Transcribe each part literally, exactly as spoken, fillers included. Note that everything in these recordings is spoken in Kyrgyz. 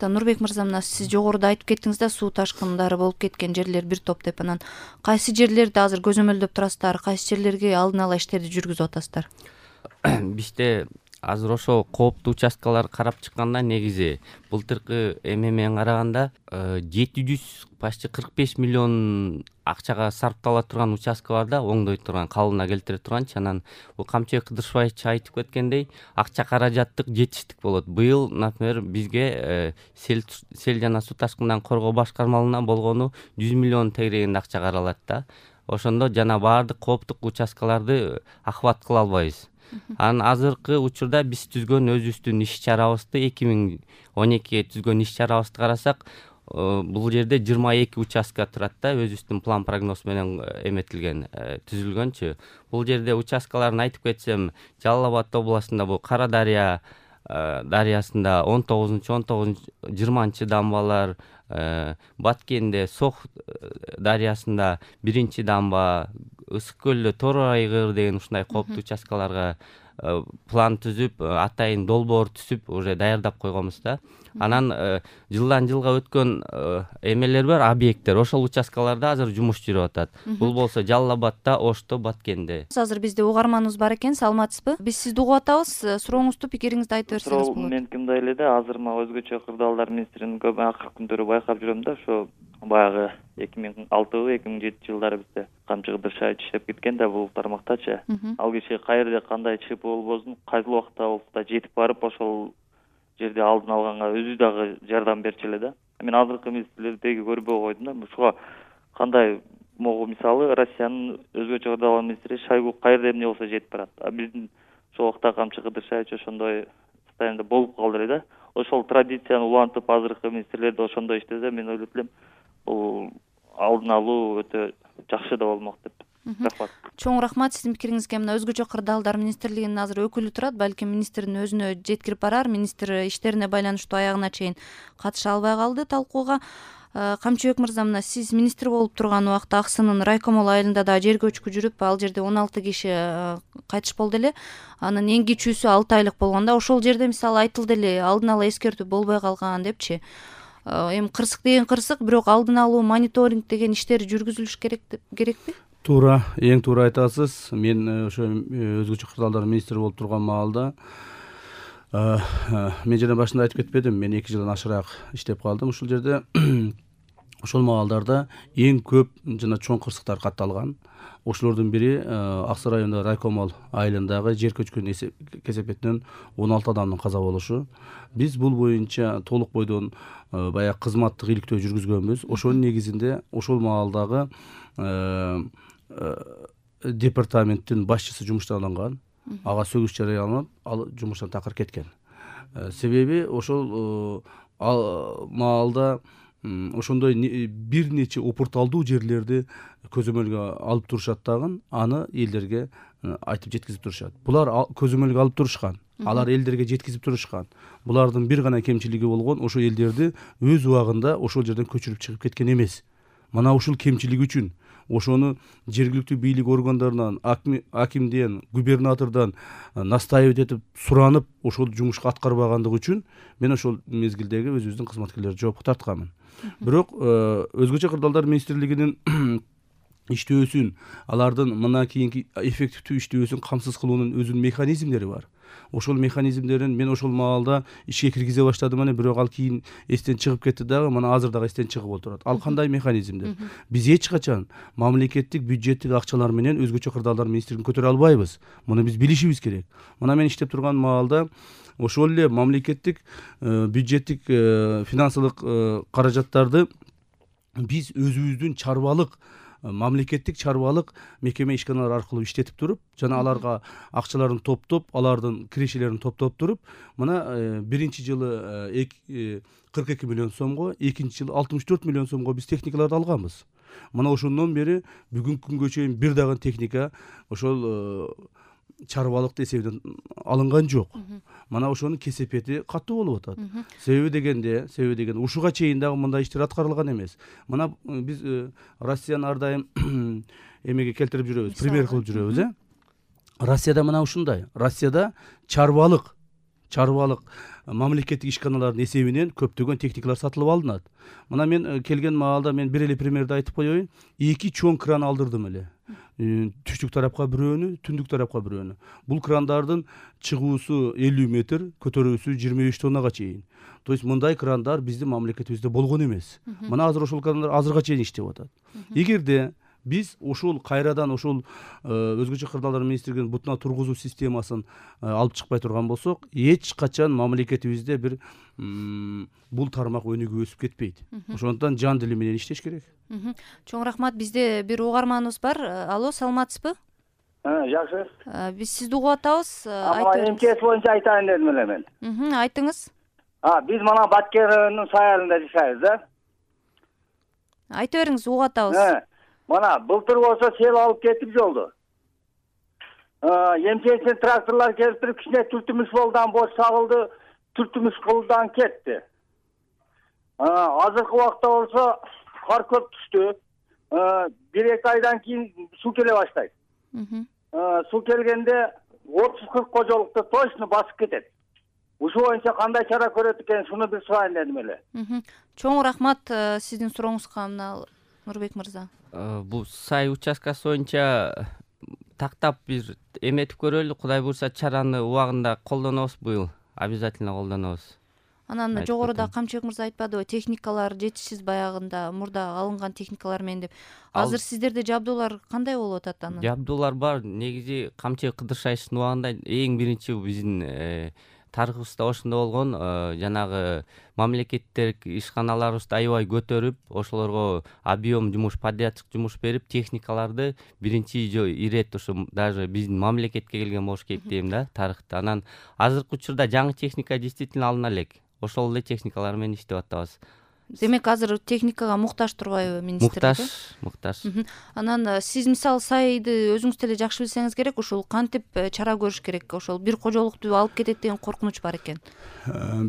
Нурбек мырза, мына сиз жогоруда айтып кеттиңиз да, суу ташкындары болуп кеткен жерлер бир топ деп. Анан кайсы жерлерди азыр көзөмөлдөп турасыздар, кайсы жерлерге алдын ала иштерди жүргүзүп атасыздар? Бизде азыр ошо кооптуу участкаларды карап чыкканда негизи былтыркы эме менен караганда жети жүз почти кырк беш миллион акчага сарптала турган участка бар да, оңдой турган, калыбына келтире турганчы. Анан бул Камчыбек Кыдыршбаевич айтып кеткендей, акча каражаттык жетиштик болот. Быйыл, например, бизге сел сел жана суу ташкындан коргоо башкармалыгынан болгону жүз миллион тегерегинде акча каралат да. Ошондо жана баардык кооптук участкаларды охват кыла албайбыз. Анан азыркы учурда биз түзгөн өзүбүздүн иш чарабызды эки миң он экиге түзгөн иш чарабызды карасак, бул жерде жыйырма эки участка турат да, өзүбүздүн план прогноз менен эметилген, түзүлгөнчү. Бул жерде участкаларын айтып кетсем, Жалал Абад областында бул Кара Дарыя дарыясында он тогузунчу он тогузунчу жыйырманчы дамбалар, Баткенде Сох дарыясында биринчи дамба, Ысык көлдө Тор Айгыр деген ушундай кооптуу участкаларга план түзүп, атайын долбоор түзүп уже даярдап койгонбуз да. Анан жылдан жылга өткөн эмелер бар, объекттер. Ошол участкаларда азыр жумуш жүрүп атат. Бул болсо Жалал Абадта, Ошто, Баткенде. Азыр бизде угарманыбыз бар экен, саламатсызбы? Биз сизди угуп атабыз. Сурооңузду, пикириңизди айтып берсеңиз болот. Меники мындай эле да, азыр мага өзгөчө кырдаалдар министринин көп акыркы күндөрү байкап жүрөм да, ошо баягы эки миң алтыбы эки миң жетинчи жылдары бизде Камчыбек Кыдыршбаевич иштеп кеткен да бул тармактачы. Ал киши каерде кандай чып болбосун, кайсыл убакта болсо да жетип барып ошол жерде алдын алганга өзү дагы жардам берчү эле да. Мен азыркы министрлердеги көрбөй койдум да. Ушуга кандай могу мисалы Россиянын өзгөчө кырдаалдар министри Шойгу каерде эмне болсо жетип барат. А биздин ошол убакта Камчыбек Кыдыршбаевич ошондой состояниеде болуп калды эле да. Ошол традицияны улантып азыркы министрлерде ошондой иштесе, мен ойлойт элем, бул алдын алуу өтө жакшы да болмок деп. Рахмат. Чоң рахмат сиздин пикириңизге. Мына өзгөчө кырдаалдар министрлигинин азыр өкүлү турат, балким министрдин өзүнө жеткирип барар. Министр иштерине байланыштуу аягына чейин катыша албай калды талкууга. Камчыбек мырза, мына сиз министр болуп турган убакта Аксынын Райкомол айылында да жер көчкү жүрүп, ал жерде он алты киши кайтыш болду эле. Анын эң кичүүсү алты айлык болгондо, ошол жерде мисалы айтылды эле, алдын ала эскертүү болбой калган депчи. Эми кырсык деген кырсык, бирок алдын алуу, мониторинг деген иштер жүргүзүлүш керек керекпи? Туура, эң туура айтасыз. Мен ошо өзгөчө кырдаалдар министри болуп турган маалда мен жана башында айтып кетпедим, мен эки жылдан ашыраак иштеп калдым ушул жерде. Ошол маалдарда эң көп жана чоң кырсыктар катталган. Ошолордун бири Аксы районунда Райкомол айылындагы жер көчкүн кесепетинен он алты адамдын каза болушу. Биз бул боюнча толук бойдон баягы кызматтык иликтөө жүргүзгөнбүз. Ошонун негизинде ошол маалдагы департаменттин башчысы жумуштан алынган, ага сөгүш жарыяланып, ал жумуштан такыр кеткен. Себеби ошол маалда ошондой бир нече опурталдуу жерлерди көзөмөлгө алып турушат дагы, аны элдерге айтып жеткизип турушат. Булар көзөмөлгө алып турушкан, алар элдерге жеткизип турушкан. Булардын бир гана кемчилиги болгон, ошо элдерди өз убагында ошол жерден көчүрүп чыгып кеткен эмес. Мына ушул кемчилик үчүн ошону жергиликтүү бийлик органдарынан, акимден, губернатордон настаивать этип суранып, ошол жумушка аткарбагандыгы үчүн мен ошол мезгилдеги өзүбүздүн кызматкерлерди жоопко тартканмын. Бирок өзгөчө кырдаалдар министрлигинин иштөөсүн, алардын мына кийинки эффективдүү иштөөсүн камсыз кылуунун өзүнүн механизмдери бар. Ошол механизмдерин мен ошол маалда ишке киргизе баштадым, аны бирок ал кийин эстен чыгып кетти дагы, мына азыр дагы эстен чыгып отурат. Ал кандай механизмдер? Биз эч качан мамлекеттик бюджеттик акчалар менен өзгөчө кырдаалдар министрлигин көтөрө албайбыз. Муну биз билишибиз керек. Мына мен иштеп турган маалда ошол эле мамлекеттик бюджеттик финансылык каражаттарды биз өзүбүздүн чарбалык мамлекеттик чарбалык мекеме ишканалар аркылуу иштетип туруп, жана аларга акчаларын топтоп, алардын кирешелерин топтоп туруп, мына биринчи жылы кырк эки миллион сомго, экинчи жылы алтымыш төрт миллион сомго биз техникаларды алганбыз. Мына ошондон бери бүгүнкү күнгө чейин бир дагы техника ошол чарбалыкты эсебинен алынган жок. Мына ошонун кесепети катуу болуп атат. Себеби дегенде, себеби дегенде ушуга чейин дагы мындай иштер аткарылган эмес. Мына биз Россияны ар дайым эмеге келтирип жүрөбүз, пример кылып жүрөбүз, э? Россияда мына ушундай. Россияда чарбалык, чарбалык мамлекеттик ишканалардын эсебинен көптөгөн техникалар сатылып алынат. Мына мен келген маалда мен бир эле примерди айтып коеюн. Эки чоң кран алдырдым эле. Түштүк тарапка бирөөнү, түндүк тарапка бирөөнү. Бул крандардын чыгуусу элүү метр, көтөрүүсү жыйырма беш тоннага чейин. То есть мындай крандар биздин мамлекетибизде болгон эмес. Мына азыр ошол крандар азырга чейин иштеп атат. Эгерде биз ушул кайрадан ушул өзгөчө кырдаалдар министрлигинин бутуна тургузуу системасын алып чыкпай турган болсок, эч качан мамлекетибизде бир бул тармак өнүгүп өсүп кетпейт. Ошондуктан жан дили менен иштеш керек. Чоң рахмат. Бизде бир угарманыбыз бар. Алло, саламатсызбы? Жакшы. Биз сизди угуп атабыз. Айтыңыз. МЧС боюнча айтайын дедим эле мен. Айтыңыз. А, биз мына Баткенин саярында жашайбыз, да? Айта бериңиз, угуп атабыз. Мана былтыр болсо сел алып кетип жолду. МЧСтен тракторлор келип туруп кичине түртүмүш болдан бош сабылды, түртүмүш кылдан кетти. Азыркы убакта болсо кар көп түштү. бир эки айдан кийин суу келе баштайт. Суу келгенде отуз кырк кожолукту точно басып кетет. Ушул боюнча кандай чара көрөт экен, шуну бир сурайын дедим эле. Чоң рахмат сиздин сурооңузга, мына Нурбек мырза. Бул сай участкасы боюнча тактап бир эметип көрөлү. Кудай буйрса чараны убагында колдонобуз быйыл. Обязательно колдонобуз. Анан жогоруда Камчыбек мырза айтпадыбы, техникалар жетишсиз баягында мурда алынган техникалар менен деп. Азыр сиздерде жабдуулар кандай болуп атат анан? Жабдуулар бар. Негизи Камчыбек Кыдыршайчтын убагында эң биринчи биздин тарыхыбызда ошондо болгон, жанагы мамлекеттик ишканаларыбызды аябай көтөрүп, ошолорго объем жумуш, подрядчик жумуш берип, техникаларды биринчи ирет ушу даже биздин мамлекетке келген болуш керек дейм да, тарыхта. Анан азыркы учурда жаңы техника действительно алына элек. Ошол эле техникалар менен иштеп атабыз. Демек азыр техникага муктаж турбайбы министрлик? Муктаж, муктаж. Анан сиз мисалы сайды өзүңүз деле жакшы билсеңиз керек, ушул кантип чара көрүш керек? Ошол бир кожолукту алып кетет деген коркунуч бар экен.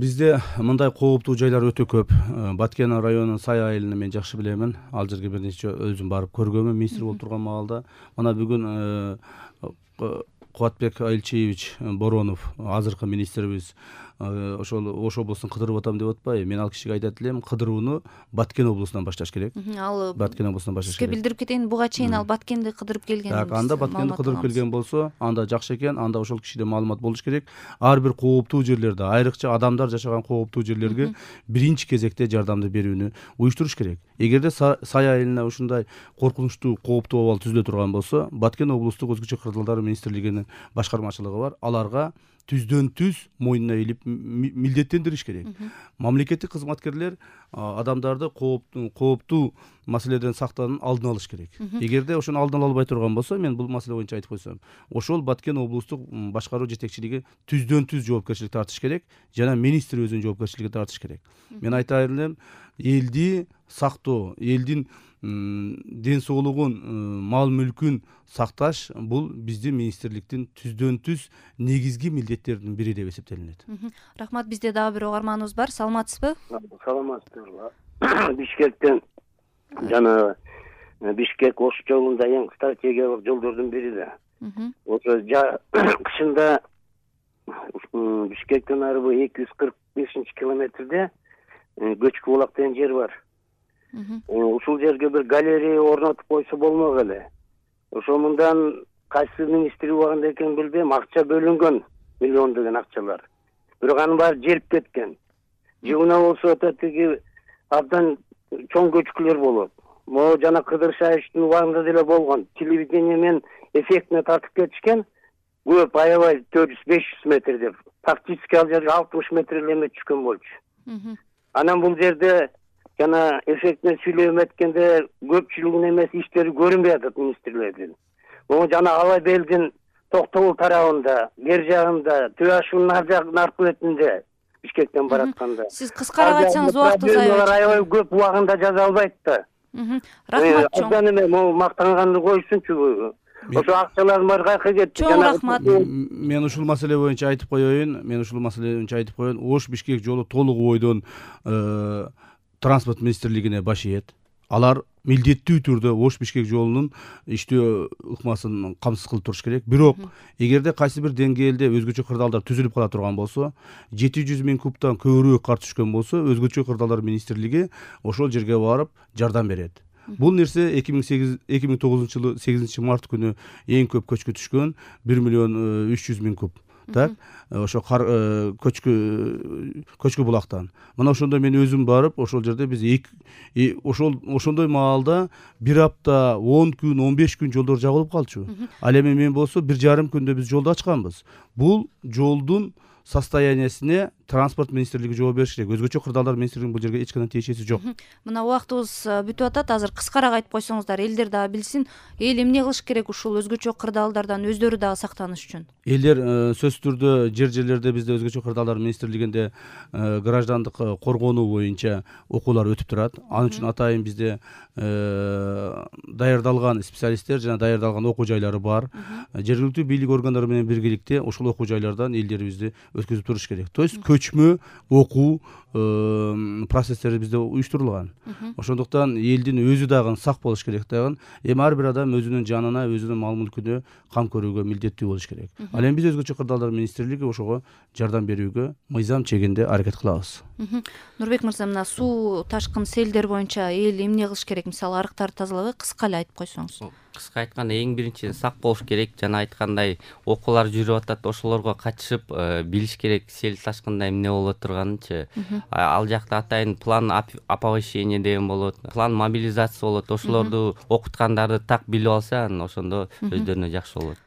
Бизде мындай кооптуу жайлар өтө көп. Баткен районунун Сай айылын мен жакшы билемин. Ал жерге бир нече өзүм барып көргөмүн министр болуп турган маалда. Мына бүгүн Кубатбек Айылчиевич Боронов, азыркы министрибиз, ошол Ош облусун кыдырып атам деп атпайбы? Мен ал кишиге айтат элем, кыдырууну Баткен облусунан башташ керек. Ал Баткен облусунан башташ керек. Сизге билдирип кетейин, буга чейин ал Баткенди кыдырып келген. Так, анда Баткенди кыдырып келген болсо, анда жакшы экен, анда ошол кишиде маалымат болуш керек. Ар бир кооптуу жерлерде, айрыкча адамдар жашаган кооптуу жерлерге биринчи кезекте жардамды берүүнү уюштуруш керек. Эгерде Сай айылына ушундай коркунучтуу, кооптуу абал түзүлө турган болсо, Баткен облустук өзгөчө кырдаалдар министрлигинин башкармачылыгы бар. Аларга түздөн түз мойнуна илип милдеттендириш керек. Мамлекеттик кызматкерлер адамдарды кооптуу маселеден сактаанын алдын алыш керек. Эгерде ошону алдын ала албай турган болсо, мен бул маселе боюнча айтып койсом, ошол Баткен облустук башкаруу жетекчилиги түздөн түз жоопкерчилик тартыш керек, жана министр өзүнүн жоопкерчилигин тартыш керек. Мен айтайын элем, элди сактоо, элдин ден соолугун, мал мүлкүн сакташ бул биздин министрликтин түздөн түз негизги милдеттеринин бири деп эсептелинет. Рахмат. Бизде дагы бир угарманыбыз бар. Саламатсызбы? Саламатсызбы. Бишкектен жана Бишкек Ош жолунда эң стратегиялык жолдордун бири да. Ошо кышында Бишкектен арыбы эки жүз кырк бешинчи километрде Көчкү булак деген жер бар. Ушул жерге бир галерея орнотуп койсо болмок эле. Ошо мындан кайсы министр убагында экенин билбейм, акча бөлүнгөн, миллиондогон акчалар. Бирок анын баары жерип кеткен. Жылына болсо тиги абдан чоң көчкүлөр болот. Могу жана Кыдыршайчтын убагында деле болгон. Телевидение менен эффектине тартып кетишкен. Көп, аябай төрт жүз беш жүз метр деп. Фактически ал жерге алтымыш метр эле эме түшкөн болчу. Анан бул жерде жана эффектине сүйлөп эткенде көпчүлүгүнүн эмес иштери көрүнбөй атат министрлердин. Могу жана Алай Белдин Токтобул тарабында, бер жагында, Түбашунун ар жагынын аркы бетинде Бишкектен баратканда. Сиз кыскараак айтсаңыз убактыбыз аябай. Аябай көп убагында жаза албайт да. Рахмат чоң. Аздан эме могу мактанганды койсунчу. Ошо акчалардын баары кайка кетти. Чоң рахмат. Мен ушул маселе боюнча айтып коеюн. Мен ушул маселе боюнча айтып коеюн. Ош Бишкек жолу толугу бойдон транспорт министрлигине баш ийет. алар милдеттүү түрдө Ош Бишкек жолунун иштөө ыкмасын камсыз кылып туруш керек. Бирок эгерде кайсы бир деңгээлде өзгөчө кырдаалдар түзүлүп кала турган болсо, жети жүз миң кубтан көбүрөөк кар түшкөн болсо, өзгөчө кырдаалдар министрлиги ошол жерге барып жардам берет. Бул нерсе эки миң сегиз эки миң тогузунчу жылы сегизинчи март күнү эң көп көчкү түшкөн бир миллион үч жүз миң куб. Так, ошо кар көчкү көчкү булактан. Мына ошондо мен өзүм барып, ошол жерде биз ошол ошондой маалда бир апта, он күн, он беш күн жолдор жабылып калчу. Ал эми мен болсо бир жарым күндө биз жолду ачканбыз. Бул жолдун состояниясине транспорт министрлиги жооп бериш керек. Өзгөчө кырдаалдар министрлигинин бул жерге эч кандай тиешеси жок. Мына убактыбыз бүтүп атат. Азыр кыскараак айтып койсоңуздар, элдер дагы билсин, эл эмне кылыш керек ушул өзгөчө кырдаалдардан өздөрү дагы сактаныш үчүн? Элдер сөзсүз түрдө жер жерлерде бизде өзгөчө кырдаалдар министрлигинде граждандык коргонуу боюнча окуулар өтүп турат. Ал үчүн атайын бизде даярдалган специалисттер жана даярдалган окуу жайлары бар. Жергиликтүү бийлик органдары менен биргеликте ошол окуу жайлардан элдерибизди өткүзүп туруш керек. То есть көчмө окуу процесстери бизде уюштурулган. Ошондуктан элдин өзү дагы сак болуш керек дагы. Эми ар бир адам өзүнүн жанына, өзүнүн мал мүлкүнө кам көрүүгө милдеттүү болуш керек. Ал эми биз өзгөчө кырдаалдар министрлиги ошого жардам берүүгө мыйзам чегинде аракет кылабыз. Нурбек мырза, мына суу ташкын, селдер боюнча эл эмне кылыш керек? Мисалы, арыктарды тазалабай кыска эле айтып койсоңуз. Кыска айтканда, эң биринчи сак болуш керек. Жана айткандай, окуулар жүрүп атат, ошолорго катышып билиш керек сел ташкында эмне боло турганынчы. Ал жакта атайын план оповещения деген болот, план мобилизация болот. Ошолорду окуткандарды так билип алса, ошондо өздөрүнө жакшы болот.